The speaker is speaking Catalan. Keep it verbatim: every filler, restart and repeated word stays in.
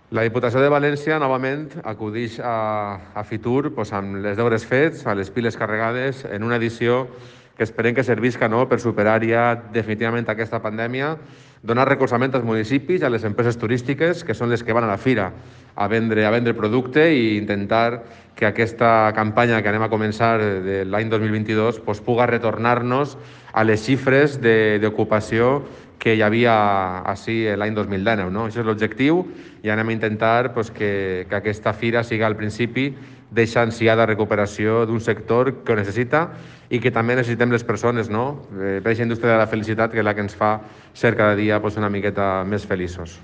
La Diputació de València, novament, acudix a, a Fitur pues, amb les deures fets, a les piles carregades, en una edició que esperem que servisca no, per superar ja definitivament aquesta pandèmia, donar recolzament als municipis i a les empreses turístiques, que són les que van a la fira a vendre, a vendre producte, i intentar que aquesta campanya que anem a començar de l'any dos mil vint-i-dos pues, puga retornar-nos a les xifres d'ocupació que hi havia així l'any dos mil dinou. No? Això és l'objectiu, i anem a intentar pues, que, que aquesta fira siga al principi d'eixa ansiada recuperació d'un sector que ho necessita i que també necessitem les persones, no? Eh, per aquesta indústria de la felicitat, que és la que ens fa ser cada dia pues, una miqueta més feliços.